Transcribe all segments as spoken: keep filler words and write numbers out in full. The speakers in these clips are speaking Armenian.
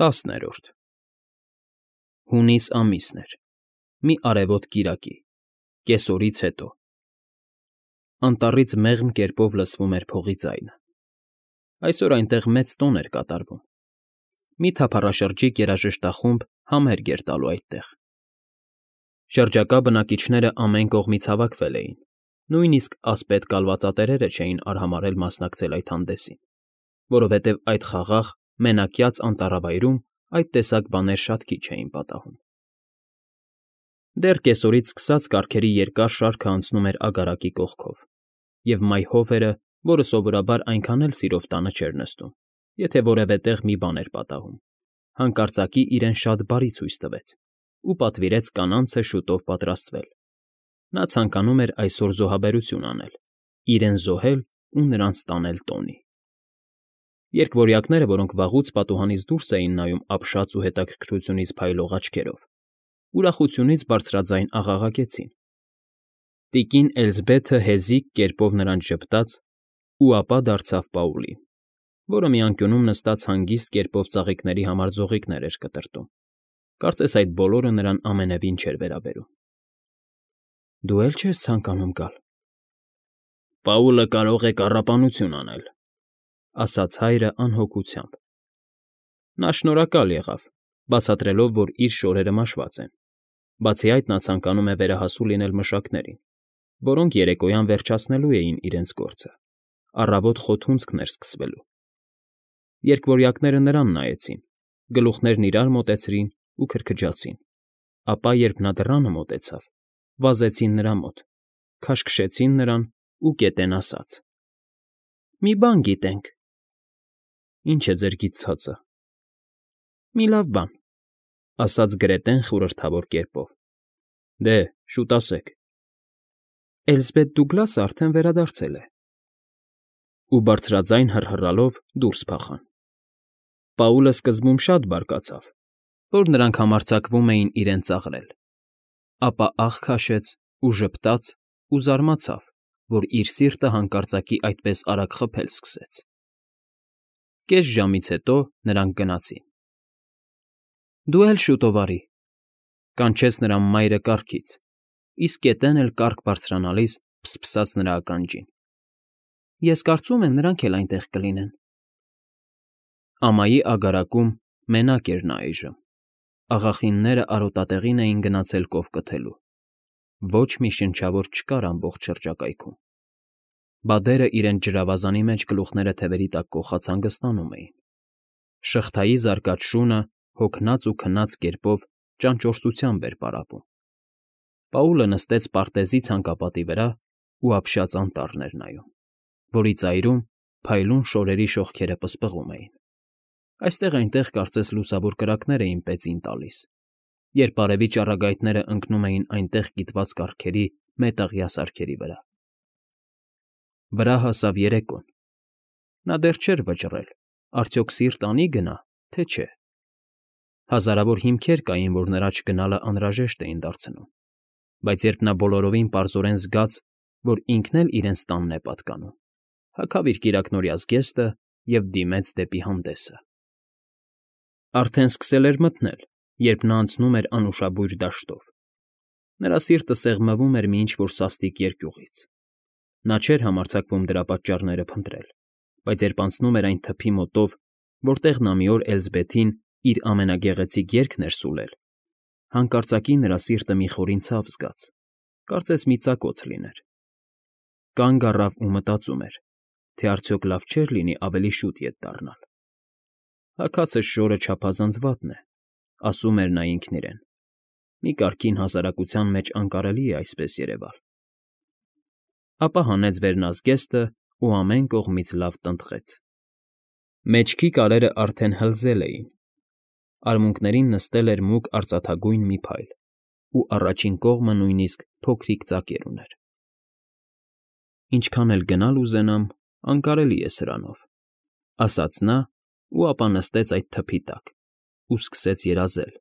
ՏԱՍՆԵՐՈՐԴ Հունիս ամիսն էր, մի արևոտ կիրակի, կեսօրից հետո, անտառից մեղմ կերպով լսվում էր փողի ձայնը. այսօր այնտեղ մեծ տոն էր կատարվում, մի թափառաշրջիկ երաժշտախումբ համերգ էր տալու այդտեղ. շրջակա բնակիչները ամեն կողմից հավաքվել էին, նույնիսկ ասպետ կալվածատերերը չէին արհամարհել մասնակցել այդ հանդեսին, որովհետև այդ խաղաղ, մենակյաց անտառավայրում այդ տեսակ բաներ շատ քիչ էին պատահում։ Դեռ կեսօրից սկսած կառքերի երկար շարքը անցնում էր agaraçի կողքով, և մայհովերը, որը սովորաբար այնքան էլ սիրով տանը չէր նստում, եթե որևէ տեղ մի բան էր պատահում, հանկարծակի իրեն շատ բարի ցույց տվեց ու պատվիրեց կանանցը շուտով պատրաստվել. նա ցանկանում էր այսօր զոհաբերություն անել, իրեն զոհել ու նրանց տանել տոնի։ Երգվորյակները, որոնք վաղուց պատուհանից դուրս էին նայում ապշած ու հետաքրքրությունից փայլող աչքերով, ուրախությունից բարձրաձայն աղաղակեցին. տիկին Էլզբեթը հեզիկ կերպով նրանց ժպտաց ու ապա դարձավ Պաուլին, որը մի անկյունում նստած հանգիստ կերպով ծաղիկների համար ձողիկներ էր կտրտում, կարծես այդ բոլորը նրան ամենևին չէր վերաբերում։ ֊ Դու էլ չե՞ս ցանկանում գալ։ ֊ Պաուլը կարող է կառապանություն անել, ֊ ասաց հայրը անհոգությամբ։ Նա շնորհակալ եղավ, բացատրելով, որ իր շորերը մաշված են, բացի այդ նա ցանկանում է վերահասու լինել մշակներին, որոնք երեկոյան վերջացնելու էին իրենց գործը, առավոտ խոթունցքն էր սկսվելու։ Երգվորյակները նրան նայեցին, գլուխներն իրար մոտեցրին ու քրքջացին, ապա, երբ նա դռանը մոտեցավ, վազեցին նրա մոտ, քաշքշեցին նրան ու կետեն ասաց. ֊ Մի բան գիտենք։ ֊ Ի՞նչ է ձեր գիտցածը։ ֊ Մի լավ բան, ֊ ասաց Գրետեն խորհրդավոր կերպով։ ֊ Դե, շուտ ասեք։ ֊ Էլզբեթ Դուգլասը արդեն վերադարձել է։ Ու բարձրաձայն հռհռալով դուրս փախան։ Պաուլը սկզբում շատ բարկացավ, որ նրանք համարձակվում էին իրեն ծաղրել, ապա աղ քաշեց ու ժպտաց ու զարմացավ, որ իր սիրտը հանկարծակի այդպես արագ խփել սկսեց։ Կես ժամից հետո նրանք գնացին։ ֊ Դու էլ շուտով արի, ֊ կանչեց նրան մայրը կառքից, իսկ կետն էլ կառք բարձրանալիս փսփսաց նրա ականջին։ ֊ Ես կարծում եմ, նրանք էլ այնտեղ կլինեն։ Ամայի agaraçում մենակ էր նա այժմ, աղախինները արոտատեղին էին գնացել կով կթելու, ոչ մի շնչավոր չկար ամբողջ շրջակայքում, բադերը իրենց ջրավազանի մեջ գլուխները թևերի տակ կոխած հանգստանում էին, շղթայի զարկած շունը հոգնած ու քնած կերպով ճանճորսությամբ էր պարապում։ Պաուլը նստեց պարտեզի ցանկապատի վրա ու ապշած անտառն էր նայում, որի ծայրում փայլուն շորերի շողքերը պսպղում էին։ Այստեղ֊այնտեղ կարծես լուսավոր կրակներ էին պեցին տալիս, երբ արևի ճառագայթներն ընկնում էին այնտեղ կիտված կառքերի մետաղյա սարքերի վրա։ Վրա հասավ երեկոն։ Նա դեռ չէր վճռել, արդյոք սիրտ անի՞ գնա, թե չէ։ Հազարավոր հիմքեր կային, որ նրա չգնալը անհրաժեշտ էին դարձնում, բայց երբ նա բոլորովին պարզորեն զգաց, որ ինքն էլ իրենց տանն է պատկանում, հագավ իր կիրակնօրյա զգեստը և դիմեց դեպի հանդեսը։ Արդեն սկսել էր մթնել, երբ նա անցնում էր անուշաբույր դաշտով։ Նրա սիրտը սեղմվում էր մի ինչ֊որ սաստիկ երկյուղից։ Նա չէր համարձակվում դրա պատճառները փնտրել, բայց երբ անցնում էր այն թփի մոտով, որտեղ նա մի օր Էլզբեթին իր ամենագեղեցիկ երգն էր սուլել, հանկարծակի նրա սիրտը մի խորին ցավ զգաց, կարծես մի ծակոց լիներ։ Կանգ առավ ու մտածում էր, թե արդյոք լավ չէր լինի ավելի շուտ ետ դառնալ։ Հագածս շորը չափազանց վատն է, ասում էր նա ինքն իրեն, մի կարգին հասարակության մեջ անկարելի է այսպես երևալ։ Ապա հանեց վերնազգեստն ու ամեն կողմից լավ տնտղեց։ Մեջքի կարերը արդեն հլզել էին, արմունկներին նստել էր մուգ արծաթագույն մի փայլ, ու առաջին կողմը նույնիսկ փոքրիկ ծակեր ուներ։ Ինչքան էլ գնալ ուզենամ, անկարելի է սրանով, ֊ ասաց նա ու ապա նստեց այդ թփի տակ ու սկսեց երազել,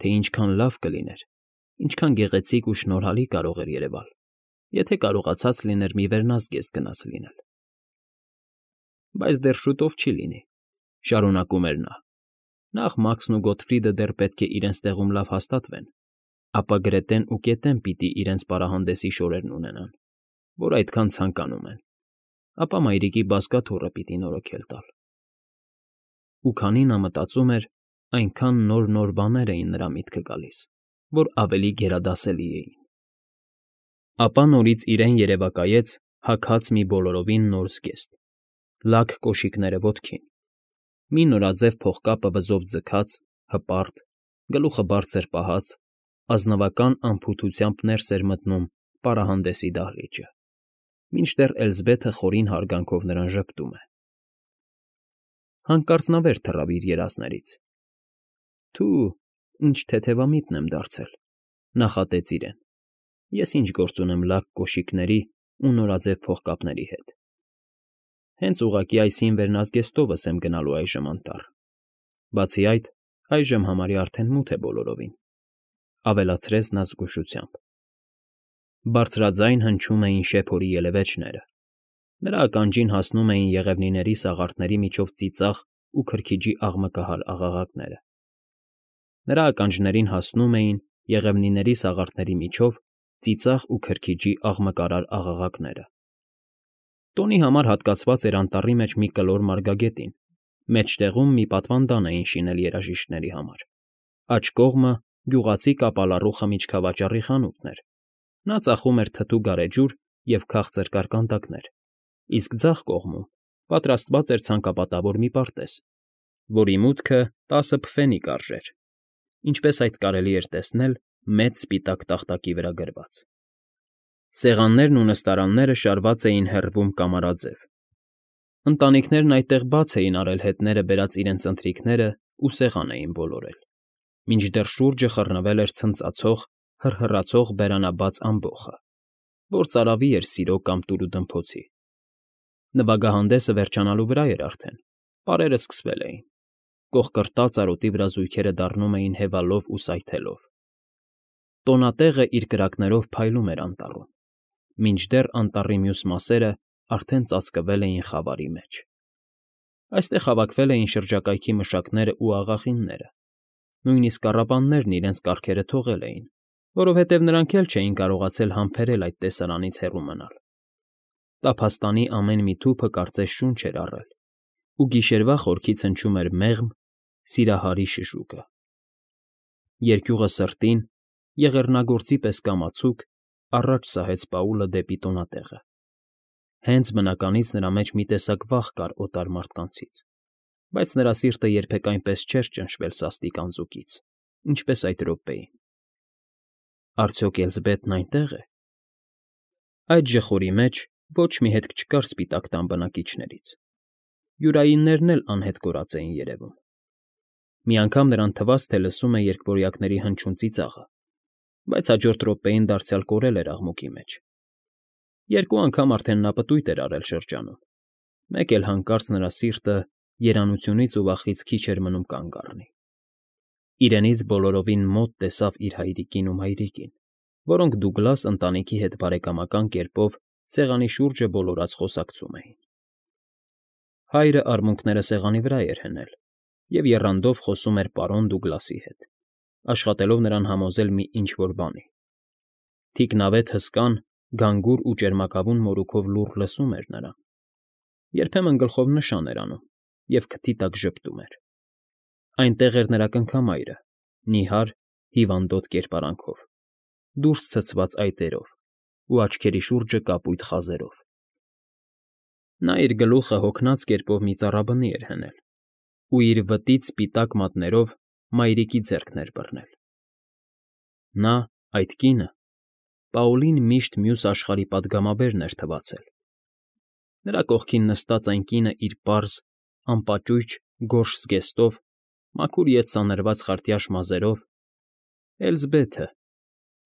թե ինչքան լավ կլիներ, ինչքան գեղեցիկ ու շնորհալի կարող էր երևալ, եթե կարողացած լիներ մի վերնազգեստ գնած լինել։ Բայց դեռ շուտով չի լինի, ֊ շարունակում էր նա, Նախ Մաքսն ու Գոտֆրիդը դեռ պետք է իրենց տեղում լավ հաստատվեն, ապա Գրետեն ու Կետեն պիտի իրենց պարահանդեսի շորերն ունենան, որ այդքան ցանկանում են, ապա մայրիկի բազկաթոռը պիտի նորոգել տալ։ Ու քանի նա մտածում էր, այնքան նոր֊նոր բաներ էին նրա միտքը գալիս, որ ավելի գերադասելի էին։ Ապա նորից իրեն երևակայեց հագած մի բոլորովին նոր զգեստ, լաք կոշիկները ոտքին, մի նորաձև փողկապը վզով ձգած, հպարտ, գլուխը բարձր պահած, ազնվական անփութությամբ ներս էր մտնում պարահանդեսի դահլիճը, մինչդեռ Էլզբեթը խորին հարգանքով նրան ժպտում է։ Հանկարծ նա վեր թռավ իր երազներից։ «Թու, ինչ թեթևամիտն եմ դարձել», նախատեց իրեն։ «Ես ինչ գործ ունեմ լաք կոշիկների ու նորաձև փողկապների հետ։ Հենց ուղղակի այս հին վերնազգեստովս եմ գնալու այժմ անտառ։ Բացի այդ, այժմ համարյա արդեն մութ է բոլորովին», ավելացրեց նա զգուշությամբ։ Բարձրաձայն հնչում էին շեփորի ելևէջները, նրա ականջին հասնում էին եղևնիների սաղարթների միջով ծիծաղ ու քրքիջի աղմկահար աղաղակները։ Նրա ականջներին հասնում էին եղևնիների սաղարթների միջով ծիծաղ ու քրքիջի աղմկարար աղաղակները։ Տոնի համար հատկացված էր անտառի մեջ մի կլոր մարգագետին, մեջտեղում մի պատվանդան էին շինել երաժիշտների համար, աջ կողմը գյուղացի կապալառու խմիչքավաճառի խանութն էր, նա ծախում էր թթու գարեջուր և քաղցր կարկանդակներ, իսկ ձախ կողմում պատրաստված էր ցանկապատավոր մի պարտեզ, որի մուտքը տասը փֆենի կարժեր, ինչպես այդ կարելի էր տեսնել մեծ սպիտակ տախտակի վրա գրված։ Սեղաններն ու նստարանները շարված էին հեռվում կամարաձև։ Ընտանիքներն այդտեղ բաց էին արել հետները բերած իրենց ընթրիքներն ու սեղան էին ոլորել, մինչդեռ շուրջը խռնվել էր ցնծացող, հռհռացող բերանաբաց ամբոխը, որ ծարավի էր սիրո կամ տուրուդմփոցի։ Նվագահանդեսը վերջանալու վրա էր արդեն, պարերը սկսվել էին, կոխկրտած արոտի վրա զույգերը դառնում էին հևալով ու սայթելով։ Տոնատեղը իր կրակներով փայլում էր անտառում, մինչդեռ անտառի մյուս մասերը արդեն ծածկվել էին խավարի մեջ։ Այստեղ հավաքվել էին շրջակայքի մշակներն ու աղախինները, նույնիսկ առապաններն իրենց կառքերը թողել էին, որովհետև նրանք էլ չէին կարողացել համբերել այդ տեսարանից հեռու մնալ։ Տափաստանի ամեն մի թուփը կարծես շունչ էր առել, ու գիշերվա խորքից հնչում էր մեղմ, սիրահարի շշուկը։ Երկյուղը սրտին, եղեռնագործի պես կամացուկ, առաջ սահեց Պաուլը դեպի տոնատեղը։ Հենց բնականից նրա մեջ մի տեսակ վախ կար օտար մարդկանցից, բայց նրա սիրտը երբեք այնպես չէր ճնշվել սաստիկ անձուկից, ինչպես այդ րոպեին։ Արդյոք Էլզբեթն այնտե՞ղ է։ Այդ ժխորի մեջ ոչ մի հետք չկար սպիտակ տան բնակիչներից։ Յուրայիններն էլ անհետ կորած էին երևում։ Մի անգամ նրան թվաց, թե լսում է երկվորյակների հնչյուն ծիծաղը, բայց հաջորդ րոպեին դարձյալ կորել էր աղմուկի մեջ։ Երկու անգամ արդեն նա պտույտ էր արել շրջանում, մեկ էլ հանկարծ նրա սիրտը երանությունից ու վախից քիչ էր մնում կանգ առնի։ Իրենից բոլորովին մոտ տեսավ իր հայրիկին ու մայրիկին, որոնք Դուգլաս ընտանիքի հետ բարեկամական կերպով սեղանի շուրջը բոլորած խոսակցում էին։ Հայրը արմունկները սեղանի վրա էր հնել և եռանդով խոսում էր պարոն Դուգլասի հետ, աշխատելով նրան համոզել մի ինչ֊որ բանի։ Թիկնավետ հսկան, գանգուր ու ճերմակավուն մորուքով լուռ լսում էր նրան, երբեմն գլխով նշան էր անում և քթի տակ ժպտում էր։ Այնտեղ էր նրա կնքամայրը՝ նիհար, հիվանդոտ կերպարանքով, դուրս ցցված այտերով ու աչքերի շուրջը կապույտ խազերով։ Նա իր գլուխը հոգնած կերպով մի ծառաբնի էր հնել ու իր վտից սպիտակ մատներով մայրիկի ձեռքն էր բռնել։ Նա, այդ կինը, Պաուլին միշտ մյուս աշխարհի պատգամաբերն էր թվացել։ Նրա կողքին նստած այն կինը իր պարզ, անպաճույճ գորշ զգեստով, մաքուր ետ սանրված խարտյաշ մազերով, Էլզբեթը,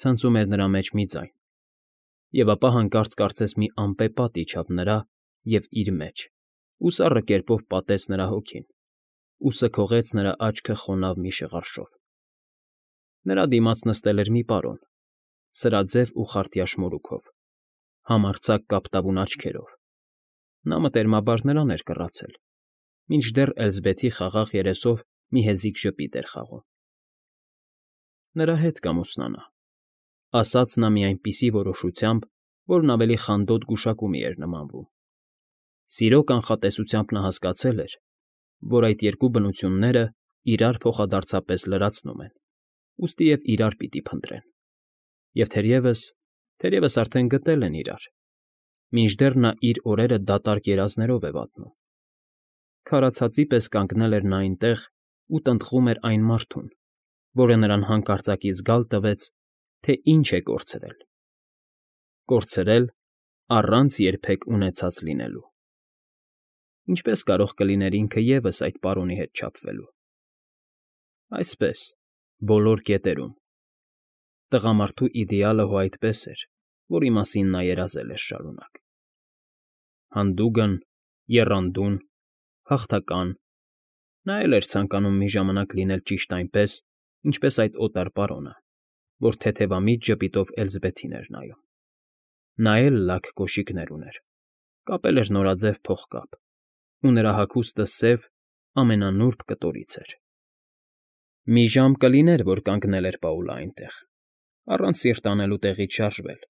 ցնծում էր նրա մեջ մի ձայն, և ապա հանկարծ կարծես մի ամպեպատ իջավ նրա և իր մեջ ու սառը կերպով պատեց նրա հոգին ու սքողեց նրա աչքը խոնավ մի շղարշով։ Նրա դիմաց նստել էր մի պարոն, սրաձև ու խարտյաշ մորուքով, համարձակ կապտավուն աչքերով։ Նա մտերմաբար նրան էր կռացել, մինչդեռ Էլզբեթի խաղաղ երեսով մի հեզիկ ժպիտ էր խաղում։ Նրա հետ կամուսնանա, ասաց նա մի այնպիսի որոշությամբ, որն ավելի խանդոտ գուշակումի էր նմանվում։ Սիրո կանխատեսությամբ նա հասկացել էր, որ այդ երկու բնությունները իրար փոխադարձապես լրացնում են, ուստիև իրար պիտի փնտրեն։ Եվ թերևս, թերևս արդեն գտել են իրար, մինչդեռ նա իր օրերը դատարկ երազներով է վատնում։ Քարացածի պես կանգնել էր նա այնտեղ ու տնտղում էր այն մարդուն, որը նրան հանկարծակի զգալ տվեց, թե ինչ է կորցրել։ Կորցրել առանց երբեք ունեցած լինելու։ Ինչպե՞ս կարող կլիներ ինքը ևս այդ պարոնի հետ չափվելու։ Այսպես, բոլոր կետերում։ Տղամարդու իդեալը հո այդպես էր, որի մասին նա երազել էր շարունակ։ Հանդուգն, եռանդուն, հաղթական, նա էլ էր ցանկանում մի ժամանակ լինել ճիշտ այնպես, ինչպես այդ օտար պարոնը, որ թեթևամիտ ժպիտով Էլզբեթին էր նայում։ Նա էլ լաք կոշիկներ ուներ, կապել էր նորաձև փողկապ, ու նրա հագուստը սև, ամենանուրբ կտորից էր։ Մի ժամ կլիներ, որ կանգնել էր Պաուլը այնտեղ, առանց սիրտ անելու տեղից շարժվել,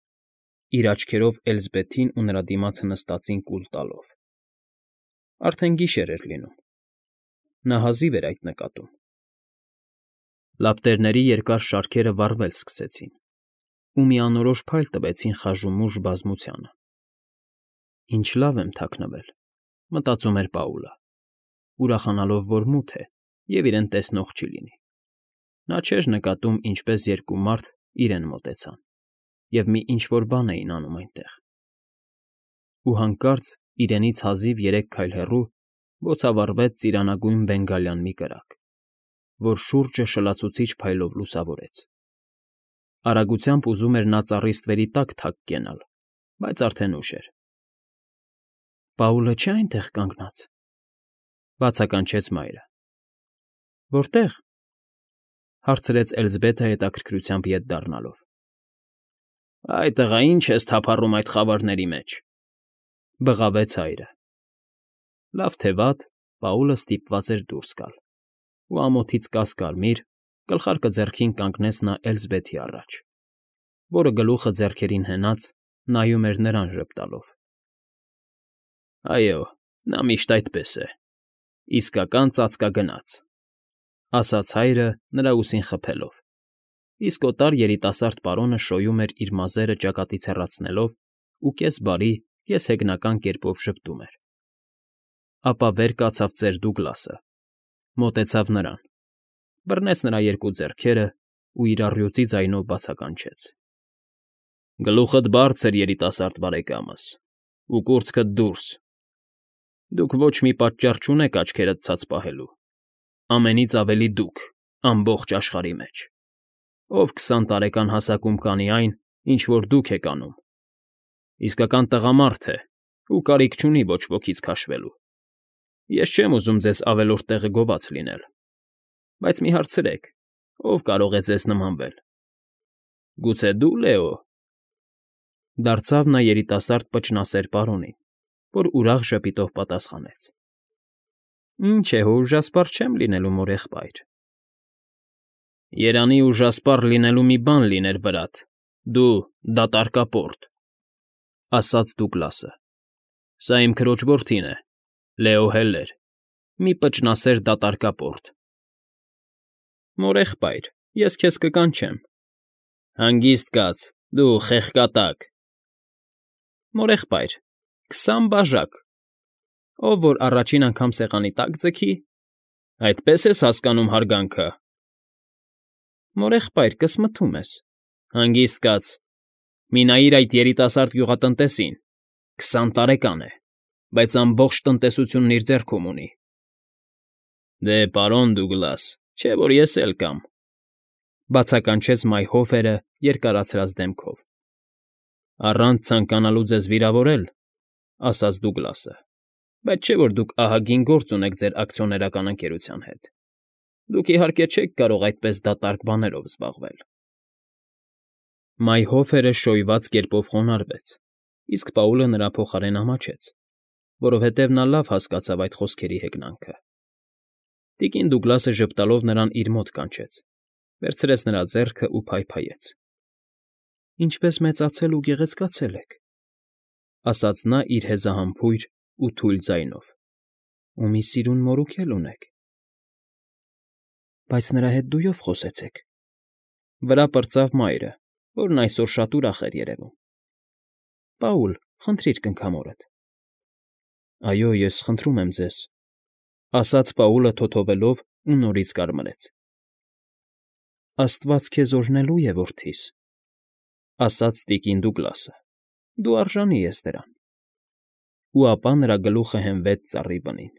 իր աչքերով Էլզբեթին ու նրա դիմացը նստածին կուլ տալով։ Արդեն գիշեր էր լինում։ Նա հազիվ էր այդ նկատում։ Լապտերների երկար շարքերը վառվել սկսեցին, ու մի անորոշ փայլ տվեցին խաժումուժ բազմությանը։ «Ինչ լավ եմ թաքնվել», մտածում էր Պաուլը, ուրախանալով, որ մութ է և իրեն տեսնող չի լինի։ Նա չէր նկատում, ինչպես երկու մարդ իրեն մոտեցան և մի ինչ֊որ բան էին անում այնտեղ։ Ու հանկարծ իրենից հազիվ երեք քայլ հեռու բոցավառվեց ծիրանագույն բենգալյան մի կրակ, որ շուրջը շլացուցիչ փայլով լուսավորեց։ Արագությամբ ուզում էր նա ծառի ստվերի տակ թակ կենալ, բայց արդեն ուշ էր։ «Պաուլը չէ՞ այնտեղ կանգնած,֊ բացականչեց մայրը։ Որտե՞ղ,֊ հարցրեց Էլզբեթը հետաքրքրությամբ ետ դառնալով։ Այ տղա, ի՞նչ ես թափառում այդ խավարների մեջ,֊ բղավեց հայրը։ Լավ թե վատ, Պաուլը ստիպված էր դուրս գալ, ու ամոթից կասկարմիր, գլխարկը ձեռքին կանգնեց նա Էլզբեթի առաջ, որը գլուխը ձեռքերին հենած նայում էր նրան ժպտալով։ Այո, նա միշտ այդպես է, իսկական ծածկագնաց,֊ ասաց հայրը նրա ուսին խփելով, իսկ օտար երիտասարդ պարոնը շոյում էր իր մազերը ճակատից հեռացնելով ու կես բարի, կես հեգնական կերպով ժպտում էր։ Ապա վեր կացավ ծեր Դուգլասը, մոտեցավ նրան, բռնեց նրա երկու ձեռքերը ու իր առյուծի ձայնով բացականչեց. Գլուխդ բարձր, երիտասարդ բարեկամս, ու կուրծքդ դուրս։ Դուք ոչ մի պատճառ չունեք աչքերդ ցած պահելու, ամենից ավելի դուք, ամբողջ աշխարհի մեջ, ով քսան տարեկան հասակում կանի այն, ինչ որ դուք եք անում, իսկական տղամարդ է ու կարիք չունի ոչ ոքից քաշվելու։ Ես չեմ ուզում ձեզ ավելորդ տեղը գոված լինել, բայց մի հարցրեք, ով կարող է ձեզ նմանվել։ Գուցե դու, Լեո։ Դարձավ նա երիտասարդ պճնասեր պարոնին, որ ուրախ ժպիտով պատասխանեց. Ինչ է, հո ուժասպառ չեմ լինելու, մորեղբայր։ Երանի ուժասպառ լինելու մի բան լիներ վրադ, դու դատարկապորտ,֊ ասաց Դուգլասը։ Սա իմ քրոջ որդին է, Լեո Հելլեր, մի պճնասեր դատարկապորտ։ Մորեղբայր, ես քեզ կկանչեմ։ Հանգիստ կաց, դու խեղկատակ։ Մորեղբայր, քսան բաժակ, ով որ առաջին անգամ սեղանի տակ ձգի, այդպես ես հասկանում հարգանքը։ Մորեղբայր, կսմթում ես։ Հանգիստ կաց, մի նայիր այդ երիտասարդ գյուղատնտեսին, քսան տարեկան է, բայց ամբողջ տնտեսությունն իր ձեռքում ունի։ Դե, պարոն Դուգլաս, չէ՞ որ ես էլ կամ,֊ բացականչեց Մայհոֆերը երկարացրած դեմքով։ Առանց ցանկանալու ձեզ վիրավորել,֊ ասաց Դուգլասը,֊ բայց չէ՞ որ դուք ահագին գործ ունեք ձեր ակցիոներական ընկերության հետ։ Դուք, իհարկե, չեք կարող այդպես դատարկ բաներով զբաղվել։ Մայհոֆերը շոյված կերպով խոնարհվեց, իսկ Պաուլը նրա փոխարեն ամաչեց, որովհետև նա լավ հասկացավ այդ խոսքերի հեգնանքը։ Տիկին Դուգլասը ժպտալով նրան իր մոտ կանչեց, վերցրեց նրա ձեռքն ու փայփայեց։ ֊ Ինչպես մեծացել ու գեղեցկացել եք,֊ ասաց նա իր հեզահամբույր ու թույլ ձայնով,֊ ու մի սիրուն մորուք էլ ունեք։ ֊ Բայց նրա հետ դույով խոսեցեք,֊ վրա պրծավ մայրը, որն այսօր շատ ուրախ էր երևում։ ֊ Պաուլ, խնդրիր կնքամորդ։ ֊ Այո, ես խնդրում եմ ձեզ,֊ ասաց Պաուլը թոթովելով ու նորից կարմրեց։ ֊ Աստված քեզ օրհնելու է, որդիս,֊ ասաց տիկին Դուգլասը,֊ դու արժանի ես դրան։ Ու ապա նրա գլուխը հենվեց ծառի բնին։